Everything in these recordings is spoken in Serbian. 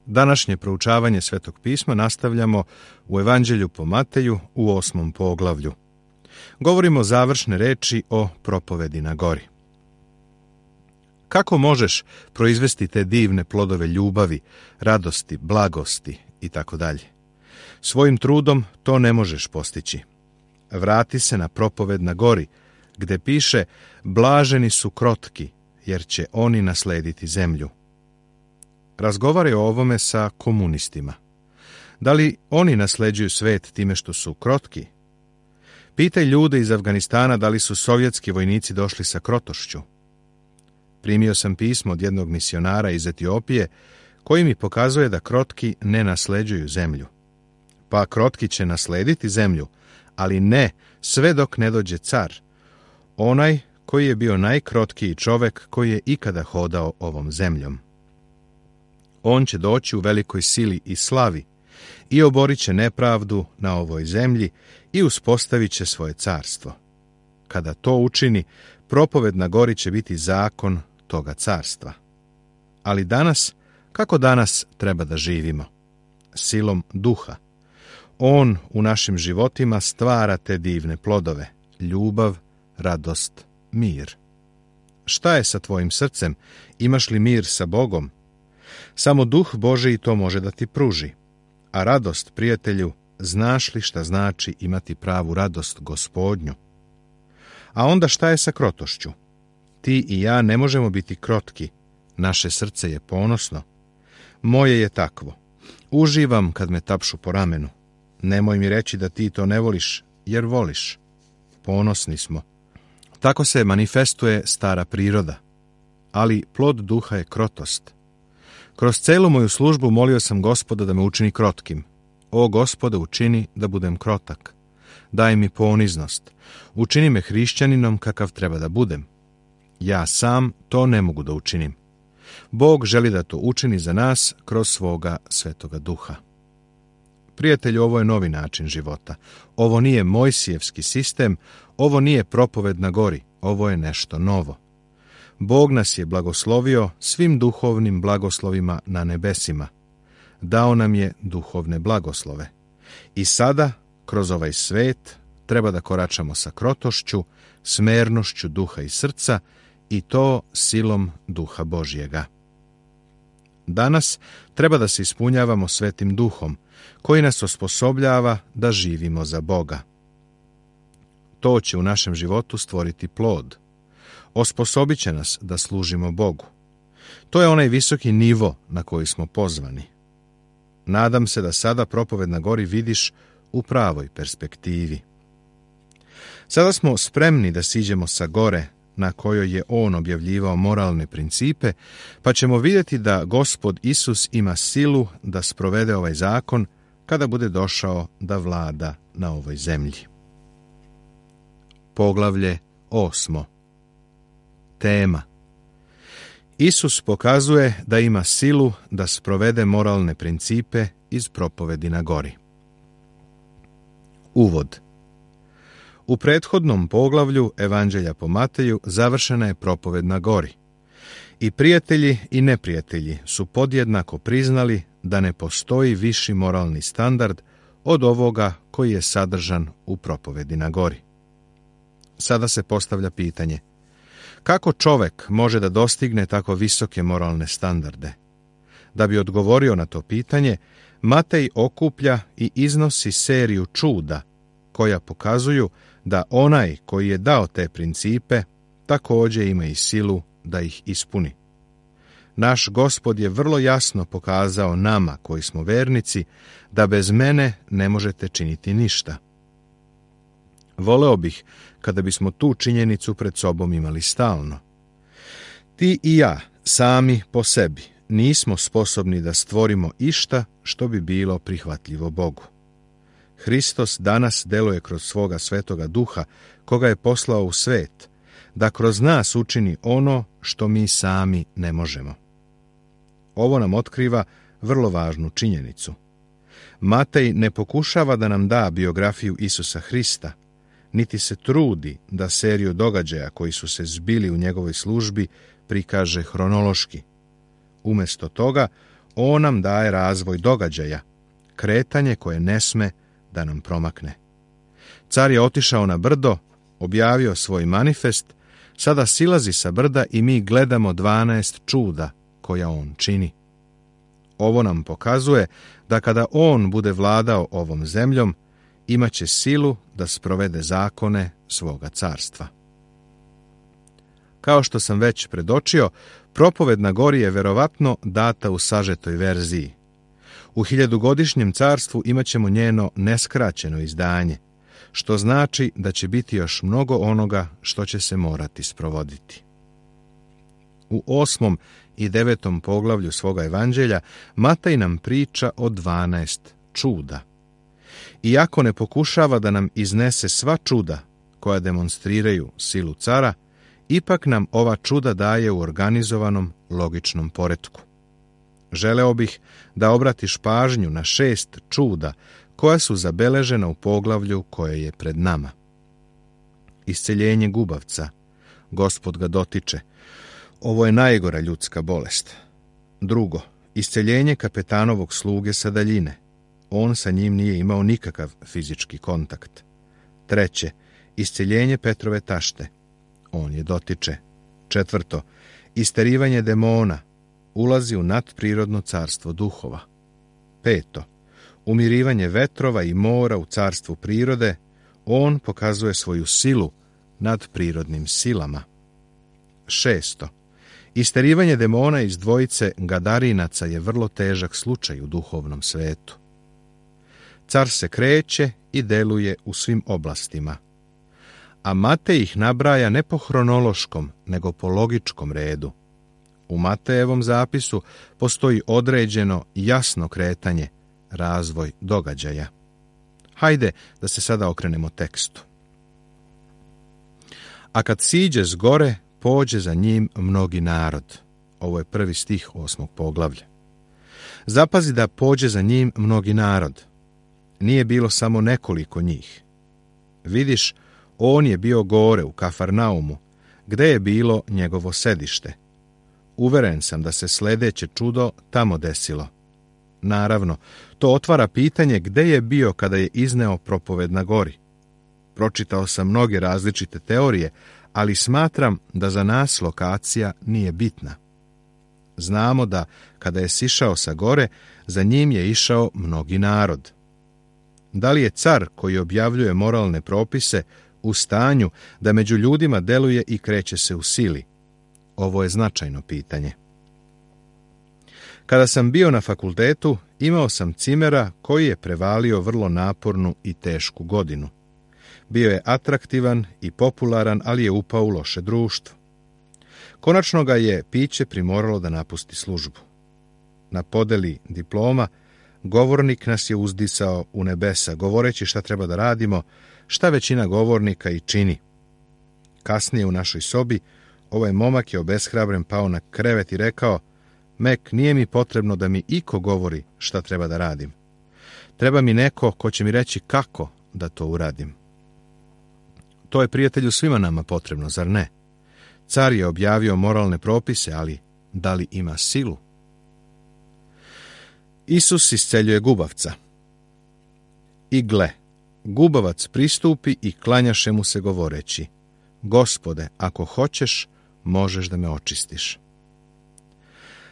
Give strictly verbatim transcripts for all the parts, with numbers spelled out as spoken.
Današnje proučavanje Svetog pisma nastavljamo u Evanđelju po Mateju u osmom poglavlju. Govorimo završne reči o propovedi na gori. Kako možeš proizvesti te divne plodove ljubavi, radosti, blagosti i tako dalje? Svojim trudom to ne možeš postići. Vrati se na propoved na gori, gde piše: blaženi su krotki, jer će oni naslediti zemlju. Razgovaraj o ovome sa komunistima. Da li oni nasleđuju svet time što su krotki? Pitaj ljude iz Afganistana da li su sovjetski vojnici došli sa krotošću. Primio sam pismo od jednog misionara iz Etiopije koji mi pokazuje da krotki ne nasleđuju zemlju. Pa krotki će naslediti zemlju, ali ne sve dok ne dođe car, onaj koji je bio najkrotkiji čovek koji je ikada hodao ovom zemljom. On će doći u velikoj sili i slavi i oborit će nepravdu na ovoj zemlji i uspostavit će svoje carstvo. Kada to učini, propoved na gori će biti zakon toga carstva. Ali danas, kako danas treba da živimo? Silom duha. On u našim životima stvara te divne plodove: ljubav, radost, mir. Šta je sa tvojim srcem? Imaš li mir sa Bogom? Samo Duh Božiji to može da ti pruži. A radost, prijatelju, znaš li šta znači imati pravu radost Gospodnju? A onda šta je sa krotošću? Ti i ja ne možemo biti krotki. Naše srce je ponosno. Moje je takvo. Uživam kad me tapšu po ramenu. Nemoj mi reći da ti to ne voliš, jer voliš. Ponosni smo. Tako se manifestuje stara priroda. Ali plod duha je krotost. Kroz celu moju službu molio sam Gospoda da me učini krotkim. O Gospode, učini da budem krotak. Daj mi poniznost. Učini me hrišćaninom kakav treba da budem. Ja sam to ne mogu da učinim. Bog želi da to učini za nas kroz svoga Svetoga Duha. Prijatelju, ovo je novi način života. Ovo nije Mojsijevski sistem, ovo nije propoved na gori, ovo je nešto novo. Bog nas je blagoslovio svim duhovnim blagoslovima na nebesima. Dao nam je duhovne blagoslove. I sada, kroz ovaj svet, treba da koračamo sa krotošću, smernošću duha i srca, i to silom Duha Božjega. Danas treba da se ispunjavamo Svetim Duhom, koji nas osposobljava da živimo za Boga. To će u našem životu stvoriti plod. Osposobit će nas da služimo Bogu. To je onaj visoki nivo na koji smo pozvani. Nadam se da sada propoved na gori vidiš u pravoj perspektivi. Sada smo spremni da siđemo sa gore na kojoj je on objavljivao moralne principe, pa ćemo vidjeti da Gospod Isus ima silu da sprovede ovaj zakon kada bude došao da vlada na ovoj zemlji. Poglavlje osmo. Tema. Isus pokazuje da ima silu da sprovede moralne principe iz propovedi na gori. Uvod. U prethodnom poglavlju Evanđelja po Mateju završena je propoved na gori. I prijatelji i neprijatelji su podjednako priznali da ne postoji viši moralni standard od ovoga koji je sadržan u propovedi na gori. Sada se postavlja pitanje: kako čovek može da dostigne tako visoke moralne standarde? Da bi odgovorio na to pitanje, Matej okuplja i iznosi seriju čuda koja pokazuju da onaj koji je dao te principe također ima i silu da ih ispuni. Naš Gospod je vrlo jasno pokazao nama koji smo vernici da bez mene ne možete činiti ništa. Voleo bih kada bismo tu činjenicu pred sobom imali stalno. Ti i ja, sami po sebi, nismo sposobni da stvorimo išta što bi bilo prihvatljivo Bogu. Hristos danas deluje kroz svoga Svetoga Duha, koga je poslao u svet, da kroz nas učini ono što mi sami ne možemo. Ovo nam otkriva vrlo važnu činjenicu. Matej ne pokušava da nam da biografiju Isusa Hrista, niti se trudi da seriju događaja koji su se zbili u njegovoj službi prikaže hronološki. Umesto toga, On nam daje razvoj događaja, kretanje koje ne sme da nam promakne. Car je otišao na brdo, objavio svoj manifest, sada silazi sa brda i mi gledamo dvanaest čuda koja on čini. Ovo nam pokazuje da kada on bude vladao ovom zemljom, imaće silu da sprovede zakone svoga carstva. Kao što sam već predočio, propoved na gori je verovatno data u sažetoj verziji. U hiljadugodišnjem carstvu imaćemo njeno neskraćeno izdanje, što znači da će biti još mnogo onoga što će se morati sprovoditi. U osmom i devetom poglavlju svoga evanđelja Mataj nam priča o dvanaest čuda. Iako ne pokušava da nam iznese sva čuda koja demonstriraju silu cara, ipak nam ova čuda daje u organizovanom logičnom poretku. Želeo bih da obratiš pažnju na šest čuda koja su zabeležena u poglavlju koje je pred nama. Isceljenje gubavca. Gospod ga dotiče. Ovo je najgora ljudska bolest. Drugo, isceljenje kapetanovog sluge sa daljine. On sa njim nije imao nikakav fizički kontakt. Treće, isceljenje Petrove tašte. On je dotiče. Četvrto, isterivanje demona. Ulazi u nadprirodno carstvo duhova. Peto, umirivanje vetrova i mora u carstvu prirode. On pokazuje svoju silu nad prirodnim silama. Šesto, isterivanje demona iz dvojice Gadarinaca je vrlo težak slučaj u duhovnom svetu. Car se kreće i deluje u svim oblastima, a Matej ih nabraja ne po hronološkom, nego po logičkom redu. U Matejevom zapisu postoji određeno, jasno kretanje, razvoj događaja. Hajde da se sada okrenemo tekstu. A kad siđe s gore, pođe za njim mnogi narod. Ovo je prvi stih osmog poglavlja. Zapazi da pođe za njim mnogi narod. Nije bilo samo nekoliko njih. Vidiš, on je bio gore u Kafarnaumu, gde je bilo njegovo sedište. Uveren sam da se sledeće čudo tamo desilo. Naravno, to otvara pitanje gde je bio kada je izneo propoved na gori. Pročitao sam mnoge različite teorije, ali smatram da za nas lokacija nije bitna. Znamo da kada je sišao sa gore, za njim je išao mnogi narod. Da li je car koji objavljuje moralne propise u stanju da među ljudima deluje i kreće se u sili? Ovo je značajno pitanje. Kada sam bio na fakultetu, imao sam cimera koji je prevalio vrlo napornu i tešku godinu. Bio je atraktivan i popularan, ali je upao u loše društvo. Konačno ga je piće primoralo da napusti službu. Na podeli diploma, govornik nas je uzdisao u nebesa, govoreći šta treba da radimo, šta većina govornika i čini. Kasnije u našoj sobi, ovaj momak je obeshrabren pao na krevet i rekao: Mek, nije mi potrebno da mi iko govori šta treba da radim. Treba mi neko ko će mi reći kako da to uradim. To je, prijatelju, svima nama potrebno, zar ne? Car je objavio moralne propise, ali da li ima silu? Isus isceljuje gubavca. I gle, gubavac pristupi i klanjaše mu se govoreći: Gospode, ako hoćeš, možeš da me očistiš.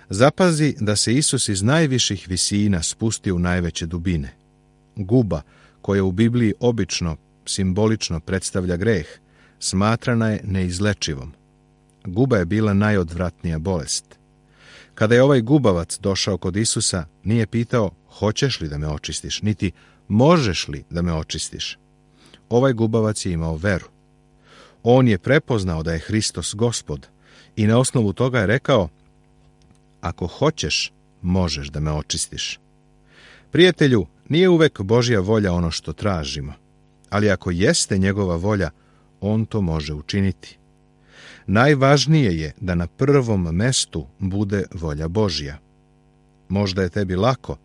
Zapazi da se Isus iz najviših visina spustio u najveće dubine. Guba, koja u Bibliji obično simbolično predstavlja greh, smatrana je neizlečivom. Guba je bila najodvratnija bolest. Kada je ovaj gubavac došao kod Isusa, nije pitao: hoćeš li da me očistiš, niti možeš li da me očistiš. Ovaj gubavac je imao veru. On je prepoznao da je Hristos Gospod i na osnovu toga je rekao: ako hoćeš, možeš da me očistiš. Prijatelju, nije uvek Božja volja ono što tražimo, ali ako jeste njegova volja, on to može učiniti. Najvažnije je da na prvom mestu bude volja Božja. Možda je tebi lako,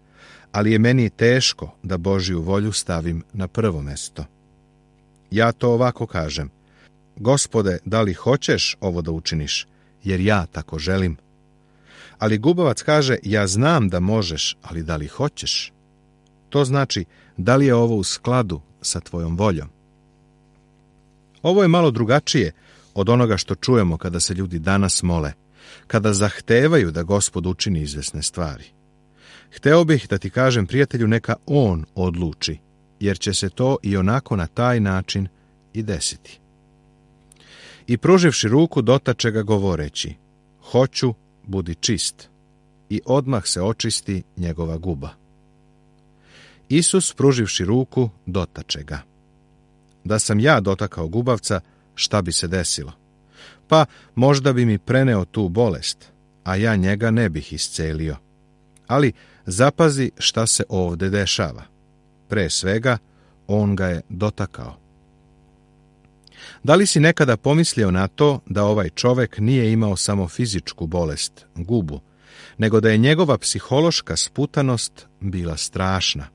ali je meni teško da Božju volju stavim na prvo mesto. Ja to ovako kažem: Gospode, da li hoćeš ovo da učiniš, jer ja tako želim? Ali gubavac kaže, ja znam da možeš, ali da li hoćeš? To znači, da li je ovo u skladu sa tvojom voljom? Ovo je malo drugačije od onoga što čujemo kada se ljudi danas mole, kada zahtevaju da Gospod učini izvesne stvari. Hteo bih da ti kažem, prijatelju, neka on odluči, jer će se to i onako na taj način i desiti. I pruživši ruku, dotače ga govoreći, hoću, budi čist, i odmah se očisti njegova guba. Isus, pruživši ruku, dotače ga. Da sam ja dotakao gubavca, šta bi se desilo? Pa možda bi mi preneo tu bolest, a ja njega ne bih iscelio. Ali zapazi šta se ovde dešava. Pre svega, on ga je dotakao. Da li si nekada pomislio na to da ovaj čovek nije imao samo fizičku bolest, gubu, nego da je njegova psihološka sputanost bila strašna?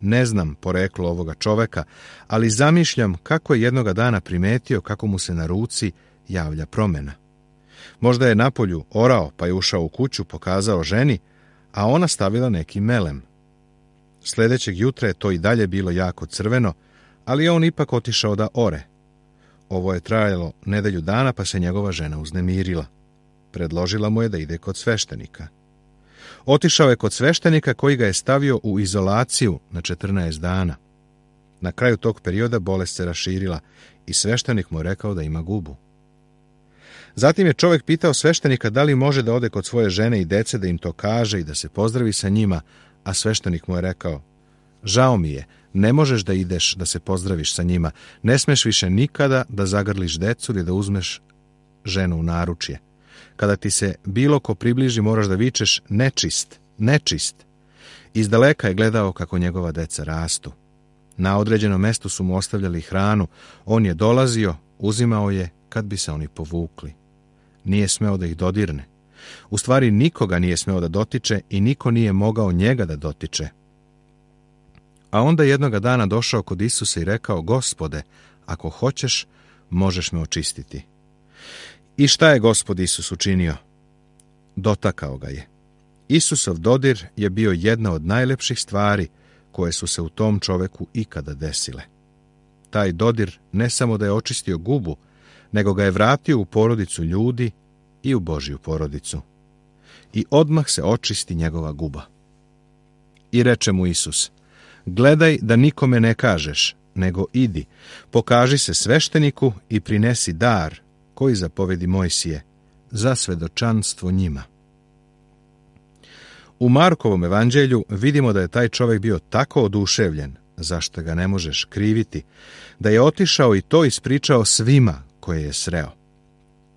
Ne znam poreklo ovoga čoveka, ali zamišljam kako je jednoga dana primetio kako mu se na ruci javlja promjena. Možda je napolju orao, pa je ušao u kuću, pokazao ženi, a ona stavila neki melem. Sljedećeg jutra je to i dalje bilo jako crveno, ali je on ipak otišao da ore. Ovo je trajalo nedelju dana, pa se njegova žena uznemirila. Predložila mu je da ide kod sveštenika. Otišao je kod sveštenika koji ga je stavio u izolaciju na četrnaest dana. Na kraju tog perioda bolest se raširila i sveštenik mu je rekao da ima gubu. Zatim je čovjek pitao sveštenika da li može da ode kod svoje žene i dece da im to kaže i da se pozdravi sa njima, a sveštenik mu je rekao, žao mi je, ne možeš da ideš da se pozdraviš sa njima, ne smeš više nikada da zagrliš decu ili da uzmeš ženu u naručje. Kada ti se bilo ko približi, moraš da vičeš nečist, nečist. Izdaleka je gledao kako njegova deca rastu. Na određenom mestu su mu ostavljali hranu, on je dolazio, uzimao je kad bi se oni povukli. Nije smeo da ih dodirne. U stvari nikoga nije smeo da dotiče i niko nije mogao njega da dotiče. A onda jednoga dana došao kod Isusa i rekao, Gospode, ako hoćeš, možeš me očistiti. I šta je Gospod Isus učinio? Dotakao ga je. Isusov dodir je bio jedna od najlepših stvari koje su se u tom čoveku ikada desile. Taj dodir ne samo da je očistio gubu, nego ga je vratio u porodicu ljudi i u Božju porodicu. I odmah se očisti njegova guba. I reče mu Isus, gledaj da nikome ne kažeš, nego idi, pokaži se svešteniku i prinesi dar koji zapovedi Mojsije, za svedočanstvo njima. U Markovom evanđelju vidimo da je taj čovjek bio tako oduševljen, zašto ga ne možeš kriviti, da je otišao i to ispričao svima koje je sreo.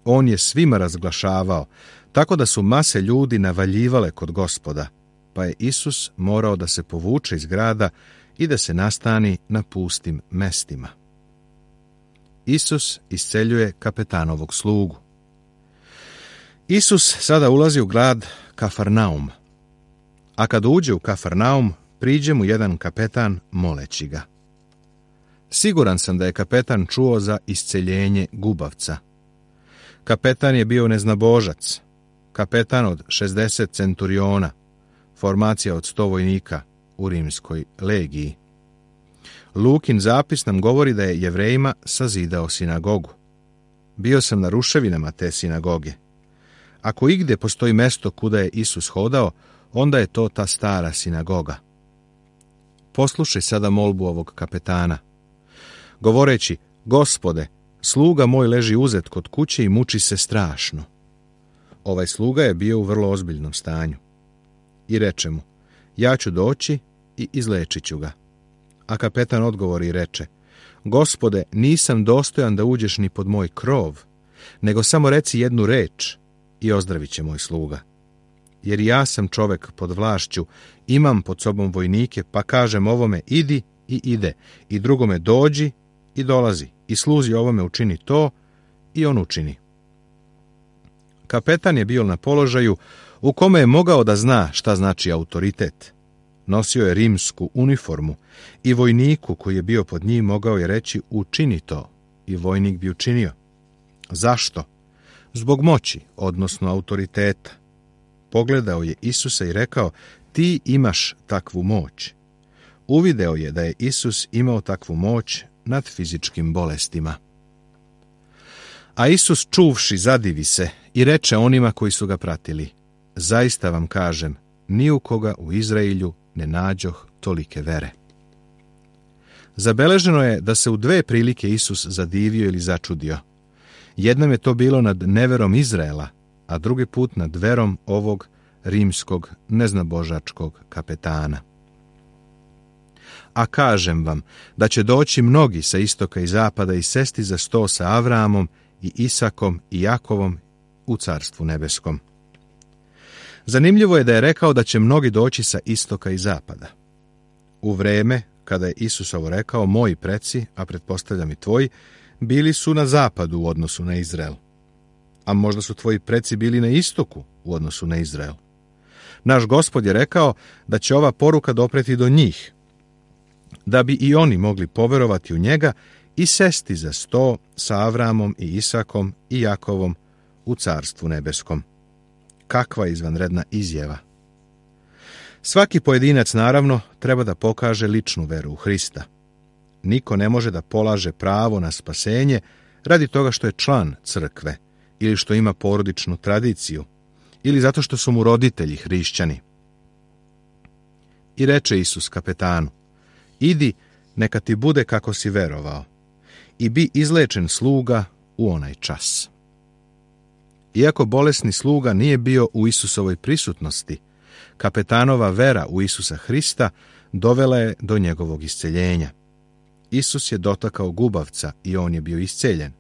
On je svima razglašavao, tako da su mase ljudi navaljivale kod Gospoda, pa je Isus morao da se povuče iz grada i da se nastani na pustim mestima. Isus isceljuje kapetanovog slugu. Isus sada ulazi u grad Kafarnaum, a kad uđe u Kafarnaum, priđe mu jedan kapetan moleći ga. Siguran sam da je kapetan čuo za isceljenje gubavca. Kapetan je bio neznabožac, kapetan od šezdeset centuriona, formacija od sto vojnika u rimskoj legiji. Lukin zapis nam govori da je Jevrejima sazidao sinagogu. Bio sam na ruševinama te sinagoge. Ako igde postoji mesto kuda je Isus hodao, onda je to ta stara sinagoga. Poslušaj sada molbu ovog kapetana. Govoreći, Gospode, sluga moj leži uzet kod kuće i muči se strašno. Ovaj sluga je bio u vrlo ozbiljnom stanju. I reče mu, ja ću doći i izlečit ću ga. A kapetan odgovori i reče, Gospode, nisam dostojan da uđeš ni pod moj krov, nego samo reci jednu reč i ozdravit će moj sluga. Jer ja sam čovek pod vlašću, imam pod sobom vojnike, pa kažem ovome idi i ide, i drugome dođi i dolazi, i sluzi ovome učini to i on učini. Kapetan je bio na položaju u kome je mogao da zna šta znači autoritet. Nosio je rimsku uniformu i vojniku koji je bio pod njim mogao je reći učini to i vojnik bi učinio. Zašto? Zbog moći, odnosno autoriteta. pogledao je Isusa i rekao: ti imaš takvu moć. Uvideo je da je Isus imao takvu moć nad fizičkim bolestima. A Isus čuvši zadivi se i reče onima koji su ga pratili: zaista vam kažem, ni u koga u Izraelju ne nađoh tolike vere. Zabeleženo je da se u dve prilike Isus zadivio ili začudio. Jednom je to bilo nad neverom Izraela, a drugi put nad verom ovog rimskog neznabožačkog kapetana. A kažem vam da će doći mnogi sa istoka i zapada i sesti za sto sa Avraamom i Isakom i Jakovom u carstvu nebeskom. Zanimljivo je da je rekao da će mnogi doći sa istoka i zapada. U vreme kada je Isus ovo rekao, moji preci, a pretpostavljam i tvoji, bili su na zapadu u odnosu na Izrael. A možda su tvoji preci bili na istoku u odnosu na Izrael. Naš Gospod je rekao da će ova poruka dopreti do njih, da bi i oni mogli poverovati u njega i sesti za sto sa Avramom i Isakom i Jakovom u carstvu nebeskom. Kakva izvanredna izjava! Svaki pojedinac, naravno, treba da pokaže ličnu veru u Hrista. Niko ne može da polaže pravo na spasenje radi toga što je član crkve ili što ima porodičnu tradiciju ili zato što su mu roditelji hrišćani. I reče Isus kapetanu: idi, neka ti bude kako si verovao, i bi izlečen sluga u onaj čas. Iako bolesni sluga nije bio u Isusovoj prisutnosti, kapetanova vera u Isusa Hrista dovela je do njegovog isceljenja. Isus je dotakao gubavca i on je bio isceljen.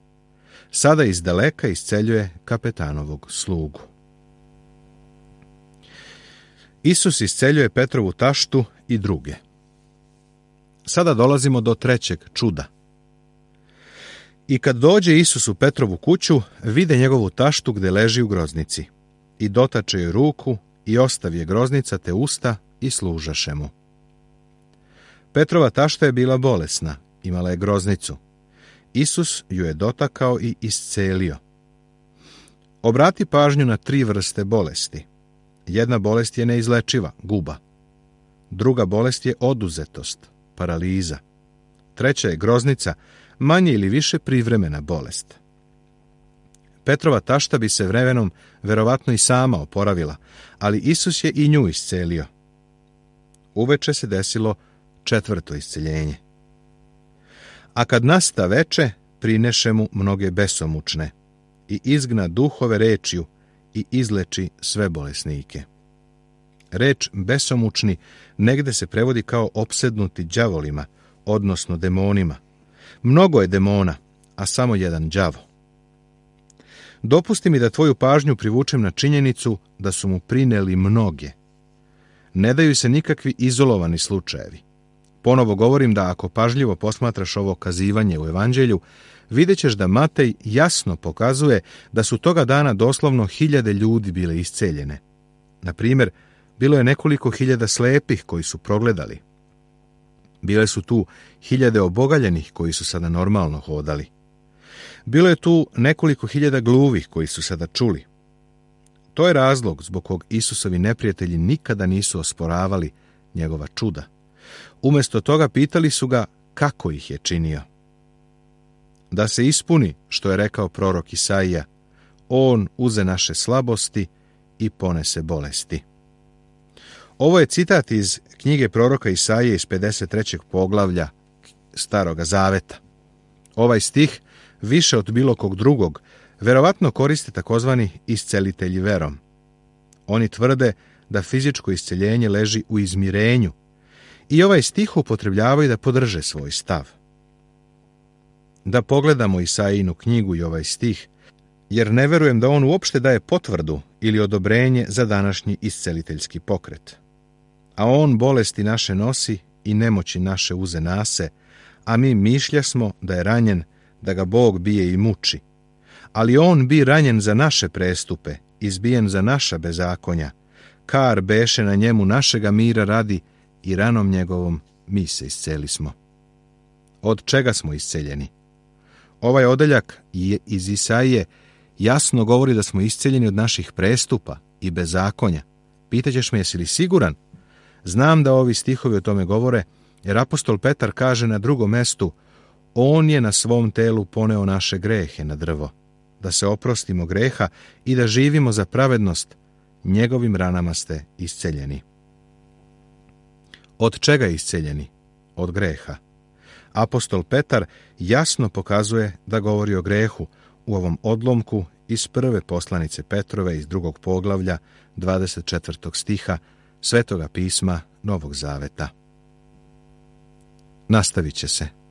Sada iz daleka isceljuje kapetanovog slugu. Isus isceljuje Petrovu taštu i druge. Sada dolazimo do trećeg čuda. I kad dođe Isus u Petrovu kuću, vide njegovu taštu gde leži u groznici. I dotače joj ruku i ostavi je groznica te usta i služaše mu. Petrova tašta je bila bolesna, imala je groznicu. Isus ju je dotakao i iscelio. Obrati pažnju na tri vrste bolesti. Jedna bolest je neizlečiva, guba. Druga bolest je oduzetost, paraliza. Treća je groznica, manje ili više privremena bolest. Petrova tašta bi se vremenom verovatno i sama oporavila, ali Isus je i nju iscelio. Uveče se desilo četvrto isceljenje. A kad nasta veče, prineše mu mnoge besomučne i izgna duhove rečju i izleči sve bolesnike. Reč besomučni negde se prevodi kao opsednuti đavolima, odnosno demonima. Mnogo je demona, a samo jedan đavo. Dopusti mi da tvoju pažnju privučem na činjenicu da su mu prineli mnoge. Ne daju se nikakvi izolovani slučajevi. Ponovo govorim da ako pažljivo posmatraš ovo kazivanje u Evanđelju, vidjet ćeš da Matej jasno pokazuje da su toga dana doslovno hiljade ljudi bile isceljene. Na primjer, bilo je nekoliko hiljada slepih koji su progledali. Bile su tu hiljade obogaljenih koji su sada normalno hodali. Bilo je tu nekoliko hiljada gluvih koji su sada čuli. To je razlog zbog kog Isusovi neprijatelji nikada nisu osporavali njegova čuda. Umjesto toga pitali su ga kako ih je činio. Da se ispuni što je rekao prorok Isaija: on uze naše slabosti i ponese bolesti. Ovo je citat iz knjige proroka Isaije iz pedeset trećeg poglavlja Staroga Zaveta. Ovaj stih, više od bilo kog drugog, verovatno koriste takozvani iscelitelji verom. Oni tvrde da fizičko isceljenje leži u izmirenju i ovaj stih upotrebljavaju da podrže svoj stav. Da pogledamo Isaijinu knjigu i ovaj stih, jer ne verujem da on uopšte daje potvrdu ili odobrenje za današnji isceliteljski pokret. A on bolesti naše nosi i nemoći naše uze nase, a mi mišljasmo da je ranjen, da ga Bog bije i muči. Ali on bi ranjen za naše prestupe, izbijen za naša bezakonja. Kar beše na njemu našega mira radi i ranom njegovom mi se iscelismo. Od čega smo isceljeni? Ovaj odeljak iz Isaije jasno govori da smo isceljeni od naših prestupa i bezakonja. Pitaćeš me jesi li siguran? Znam da ovi stihovi o tome govore, jer apostol Petar kaže na drugom mestu: on je na svom telu poneo naše grehe na drvo, da se oprostimo greha i da živimo za pravednost, njegovim ranama ste isceljeni. Od čega isceljeni? Od greha. Apostol Petar jasno pokazuje da govori o grehu u ovom odlomku iz prve poslanice Petrove iz drugog poglavlja dvadeset četvrtog stiha Svetoga pisma Novog Zaveta. Nastavit će se.